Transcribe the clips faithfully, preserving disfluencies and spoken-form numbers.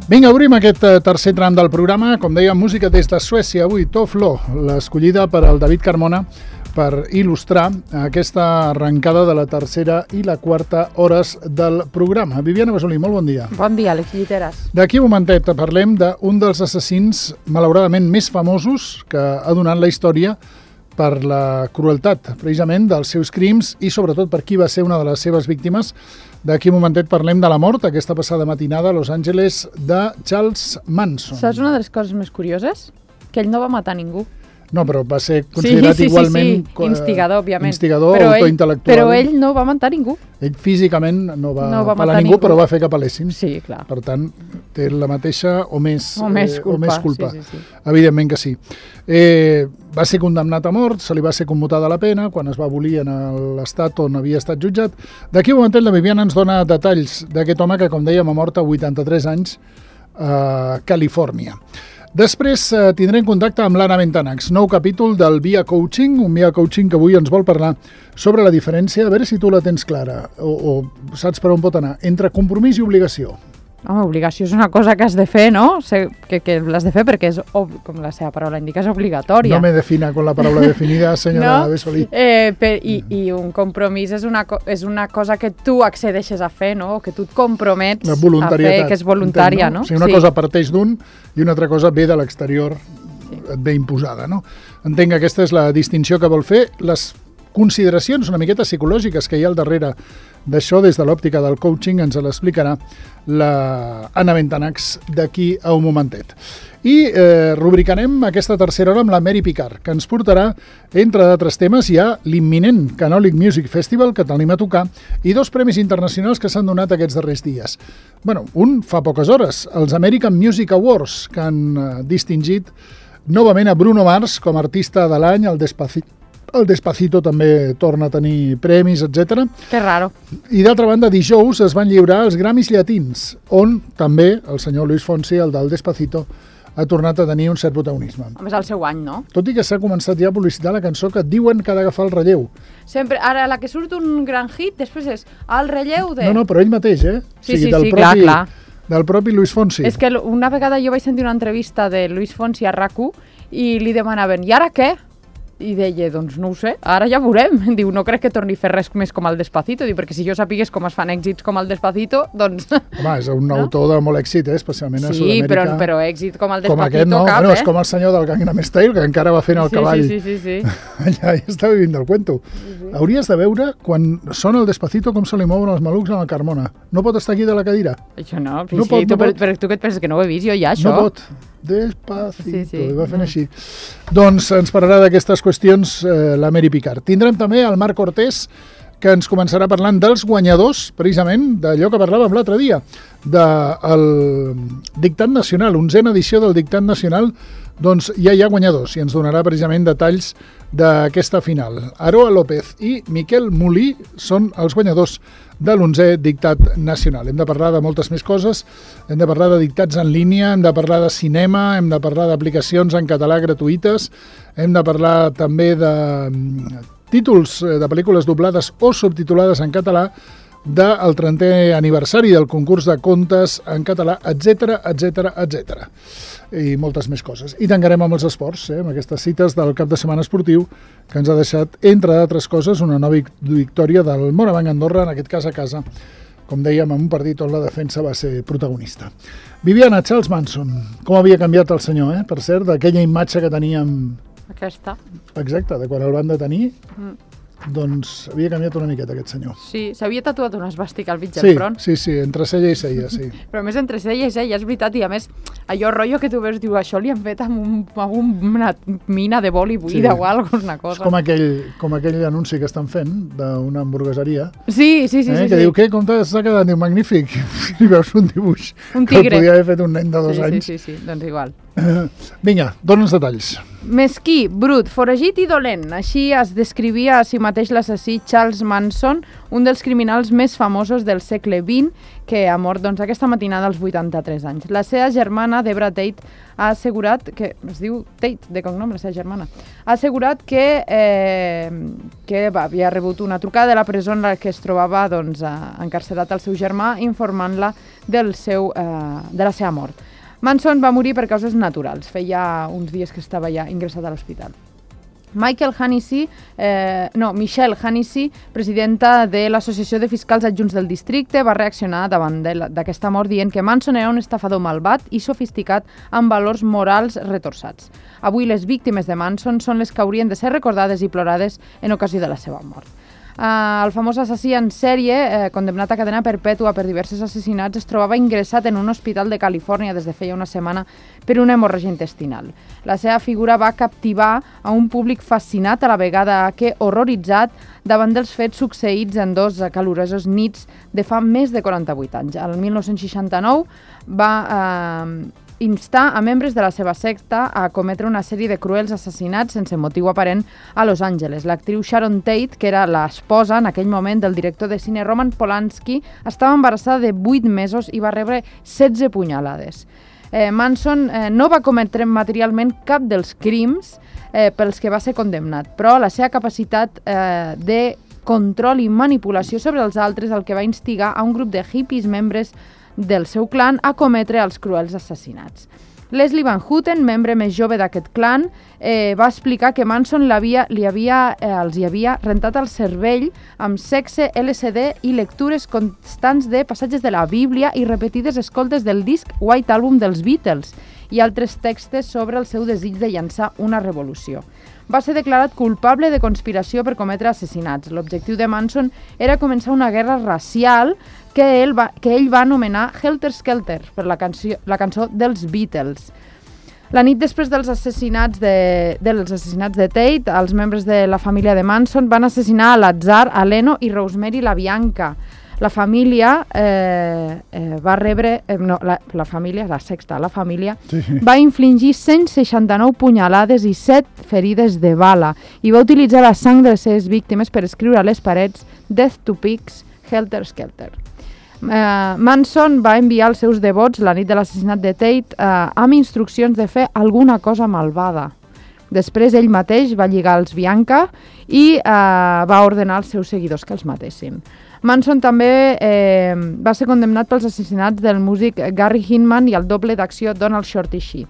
Vinga, obrim aquest tercer tram del programa. Com deia, música des de Suècia. Avui, Tough Law, l'escollida per al David Carmona per il·lustrar aquesta arrencada de la tercera i la quarta hores del programa. Viviana Basolí, molt bon dia. Bon dia, Alex Lliteres. D'aquí un momentet parlem d'un dels assassins, malauradament, més famosos que ha donat la història per la crueltat, precisament, dels seus crims i, sobretot, per qui va ser una de les seves víctimes. D'aquí un momentet parlem de la mort, aquesta passada matinada a Los Angeles, de Charles Manson. Saps una de les coses més curioses? Que ell no va matar ningú. No, però va ser considerat sí, sí, igualment... Sí, sí, instigador, òbviament. Instigador, però autointel·lectual. Ell, però ell no va matar ningú. Ell físicament no va, no va pelar ningú, ningú, però va fer que pelessin. Sí, clar. Per tant, té la mateixa o més, o més culpa. Eh, o més culpa. Sí, sí, sí. Evidentment que sí. Eh, va ser condemnat a mort, se li va ser commutada la pena quan es va abolir en l'estat on havia estat jutjat. D'aquí un moment la Viviana ens dona detalls d'aquest home que, com dèiem, ha mort a vuitanta-tres anys a Califòrnia. Després eh, tindrem contacte amb l'Anna Ventanax, nou capítol del Via Coaching, un Via Coaching que avui ens vol parlar sobre la diferència, a veure si tu la tens clara o, o saps per on pot anar, entre compromís i obligació. Home, obligació és una cosa que has de fer, no? Que, que l'has de fer perquè és, com la seva paraula indica, és obligatòria. No me defina con la paraula definida, senyora no? Besolí. Eh, per, i, I un compromís és una, és una cosa que tu accedeixes a fer, no? Que tu et compromets a fer, que és voluntària, entenc, no? no? O sigui, una sí. cosa parteix d'un i una altra cosa ve de l'exterior, sí. et ve imposada, no? Entenc que aquesta és la distinció que vol fer. Les consideracions una miqueta psicològiques que hi ha al darrere d'això, des de l'òptica del coaching, ens l'explicarà la Anna Ventanax d'aquí a un momentet. I eh, rubricarem aquesta tercera hora amb la Mary Picard, que ens portarà, entre d'altres temes, hi ha l'imminent Canòlic Music Festival, que tenim a tocar, i dos premis internacionals que s'han donat aquests darrers dies. Bueno, un fa poques hores, els American Music Awards, que han eh, distingit novament a Bruno Mars com a artista de l'any, el Despacito. El Despacito també torna a tenir premis, etcètera. Que raro. I d'altra banda, dijous es van lliurar els Grammys Llatins, on també el senyor Luis Fonsi, el del Despacito, ha tornat a tenir un cert protagonisme. Home, és el seu any, no? Tot i que s'ha començat ja a publicitar la cançó que diuen que ha d'agafar el relleu. Sempre, ara la que surt un gran hit, després és el relleu de... No, no, però ell mateix, eh? Sí, o sigui, sí, del sí, propi, clar, clar. Del propi Luis Fonsi. És que una vegada jo vaig sentir una entrevista de Luis Fonsi a RAC u i li demanaven, i ara què? I deia, doncs no ho sé, ara ja veurem. Diu, no crec que torni a fer res més com el Despacito. Diu, perquè si jo sapigués com es fan èxits com el Despacito, doncs... Home, és un no? autor de molt èxit, eh? Especialment a sí, Sud-amèrica. Sí, però, però èxit com el Despacito com aquest, no? cap, bueno, eh? És com el senyor del Gangnam Style, que encara va fent el sí, cavall. Sí, sí, sí, sí. Allà ja està vivint del cuento. Sí, sí. Hauries de veure, quan sona el Despacito, com se li mouen els malucs a la Carmona. No pot estar aquí de la cadira. Això no, no sí, pot, tu, no però, pot. però tu què et penses, que no ho he vist jo ja, això? No pot. Despacito, sí, sí. va fent no. així. Doncs ens parlarà d'aquestes qüestions eh, la Mary Picard. Tindrem també el Marc Cortés, que ens començarà parlant dels guanyadors, precisament, d'allò que parlàvem l'altre dia, del Dictat Nacional, onzena edició del Dictat Nacional, doncs ja hi ha guanyadors i ens donarà precisament detalls d'aquesta final. Aroa López i Miquel Molí són els guanyadors de l'onzè Dictat Nacional. Hem de parlar de moltes més coses, hem de parlar de dictats en línia, hem de parlar de cinema, hem de parlar d'aplicacions en català gratuïtes, hem de parlar també de títols de pel·lícules doblades o subtitulades en català, del trentè aniversari del concurs de contes en català, etcètera, etcètera, etcètera. I moltes més coses. I tancarem amb els esports, eh, amb aquestes cites del cap de setmana esportiu, que ens ha deixat, entre d'altres coses, una nova victòria del Morabanc Andorra, en aquest cas a casa, com dèiem, en un partit on la defensa va ser protagonista. Viviana, Charles Manson, com havia canviat el senyor, eh? Per cert, d'aquella imatge que teníem... Aquesta. Exacte, de quan el van detenir... Mm. Doncs havia canviat una miqueta aquest senyor. Sí, s'havia tatuat una esvàstica al mig sí, del front. Sí, sí, entre cella i cella, sí. Però a més entre cella i cella, és veritat, i a més allò rotllo que tu veus, diu, això li han fet amb, un, amb una mina de boli buida sí. o alguna cosa. És com aquell, com aquell anunci que estan fent d'una hamburgueseria. Sí, sí, sí. Eh, sí que sí. diu, què, com t'ha quedat? Diu, magnífic. I veus un dibuix un que el podia haver fet un nen de dos sí, anys. Sí, sí, sí, doncs igual. Vinga, dona'ns detalls. Mesquí, brut, foragit i dolent. Així es descrivia a si mateix l'assassí Charles Manson, un dels criminals més famosos del segle vint, que ha mort doncs, aquesta matinada als vuitanta-tres anys. La seva germana, Debra Tate, ha assegurat que, es diu Tate, de cognom, la seva germana, ha assegurat que, eh, que va, havia rebut una trucada de la presó en la que es trobava doncs, encarcerat el seu germà, informant-la del seu, eh, de la seva mort. Manson va morir per causes naturals. Feia uns dies que estava ja ingressat a l'hospital. Michael Hannessy, eh, no, Michelle Hannessy, presidenta de l'Associació de Fiscals Adjunts del Districte, va reaccionar davant d'aquesta mort dient que Manson era un estafador malvat i sofisticat amb valors morals retorçats. Avui les víctimes de Manson són les que haurien de ser recordades i plorades en ocasió de la seva mort. Uh, el famós assassí en sèrie, eh, condemnat a cadena perpètua per diversos assassinats, es trobava ingressat en un hospital de Califòrnia des de feia una setmana per una hemorràgia intestinal. La seva figura va captivar a un públic fascinat a la vegada que horroritzat davant dels fets succeïts en dos calorosos nits de fa més de quaranta-vuit anys. El mil nou-cents seixanta-nou va eh, instar a membres de la seva secta a cometre una sèrie de cruels assassinats sense motiu aparent a Los Angeles. L'actriu Sharon Tate, que era l'esposa en aquell moment del director de cine Roman Polanski, estava embarassada de vuit mesos i va rebre setze punyalades. Eh, Manson eh, no va cometre materialment cap dels crims eh, pels que va ser condemnat, però la seva capacitat eh, de control i manipulació sobre els altres el que va instigar a un grup de hippies membres del seu clan a cometre els cruels assassinats. Leslie Van Houten, membre més jove d'aquest clan, eh, va explicar que Manson havia, li havia, eh, els hi havia rentat el cervell amb sexe, L S D i lectures constants de passatges de la Bíblia i repetides escoltes del disc White Album dels Beatles i altres textos sobre el seu desig de llançar una revolució. Va ser declarat culpable de conspiració per cometre assassinats. L'objectiu de Manson era començar una guerra racial que ell va, que ell va anomenar Helter Skelter, per la cançó, la cançó dels Beatles. La nit després dels assassinats de, dels assassinats de Tate, els membres de la família de Manson van assassinar a l'atzar a Leno i Rosemary LaBianca. La família eh, eh, va rebre... Eh, no, la, la família, la sexta, la família, sí. va infligir cent seixanta-nou punyalades i set ferides de bala i va utilitzar la sang de les seves víctimes per escriure a les parets Death to Pigs, Helter Skelter. Eh, Manson va enviar els seus devots la nit de l'assassinat de Tate eh, amb instruccions de fer alguna cosa malvada. Després ell mateix va lligar els Bianca i eh, va ordenar als seus seguidors que els matessin. Manson també eh, va ser condemnat pels assassinats del músic Gary Hinman i el doble d'acció Donald Shorty Shee.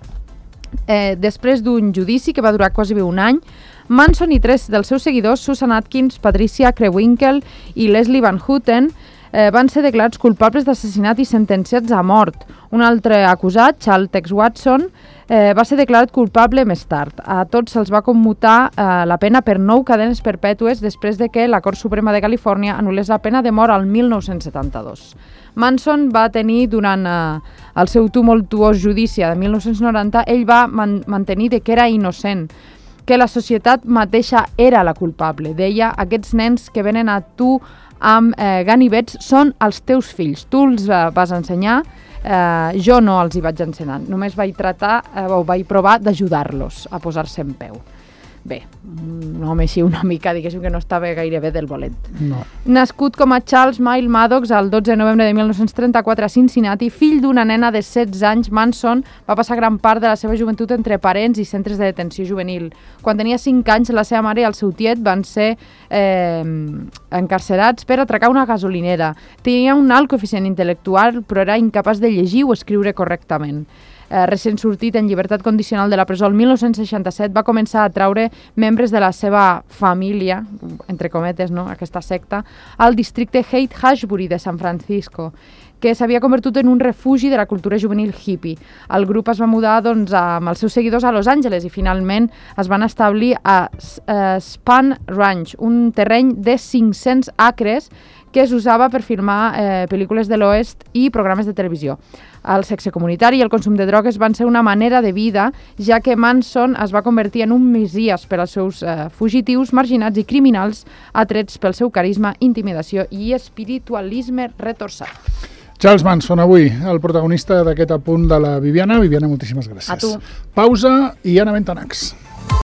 Eh, després d'un judici que va durar quasi un any, Manson i tres dels seus seguidors, Susan Atkins, Patricia Krebwinkle i Leslie Van Houten, eh, van ser declarats culpables d'assassinat i sentenciats a mort. Un altre acusat, Charles Tex Watson, eh, va ser declarat culpable més tard. A tots se'ls va commutar eh, la pena per nou cadenes perpètues després de que la Cort Suprema de Califòrnia anul·lés la pena de mort al mil nou-cents setanta-dos. Manson va tenir, durant eh, el seu tumultuós judici de mil nou-cents noranta, ell va man mantenir que era innocent, que la societat mateixa era la culpable. Deia, aquests nens que venen a tu amb eh, ganivets són els teus fills. Tu els eh, vas ensenyar, eh, jo no els hi vaig ensenyar. Només vaig tratar eh, o vaig provar d'ajudar-los a posar-se en peu. Bé, un home així una mica, diguéssim que no estava gaire bé del bolet. No. Nascut com a Charles Miles Maddox el dotze de novembre de mil nou-cents trenta-quatre a Cincinnati, fill d'una nena de setze anys, Manson va passar gran part de la seva joventut entre parents i centres de detenció juvenil. Quan tenia cinc anys, la seva mare i el seu tiet van ser eh, encarcerats per atracar una gasolinera. Tenia un alt coeficient intel·lectual, però era incapaç de llegir o escriure correctament. Eh, recent sortit en llibertat condicional de la presó el mil nou-cents seixanta-set, va començar a traure membres de la seva família, entre cometes, no?, aquesta secta, al districte Haight-Ashbury de San Francisco, que s'havia convertit en un refugi de la cultura juvenil hippie. El grup es va mudar doncs, amb els seus seguidors a Los Angeles i finalment es van establir a uh, Spahn Ranch, un terreny de cinc-cents acres que es usava per filmar eh, pel·lícules de l'oest i programes de televisió. El sexe comunitari i el consum de drogues van ser una manera de vida, ja que Manson es va convertir en un messies per als seus eh, fugitius, marginats i criminals atrets pel seu carisma, intimidació i espiritualisme retorçat. Charles Manson, avui, el protagonista d'aquest apunt de la Viviana. Viviana, moltíssimes gràcies. A tu. Pausa i Anna Bentanacs.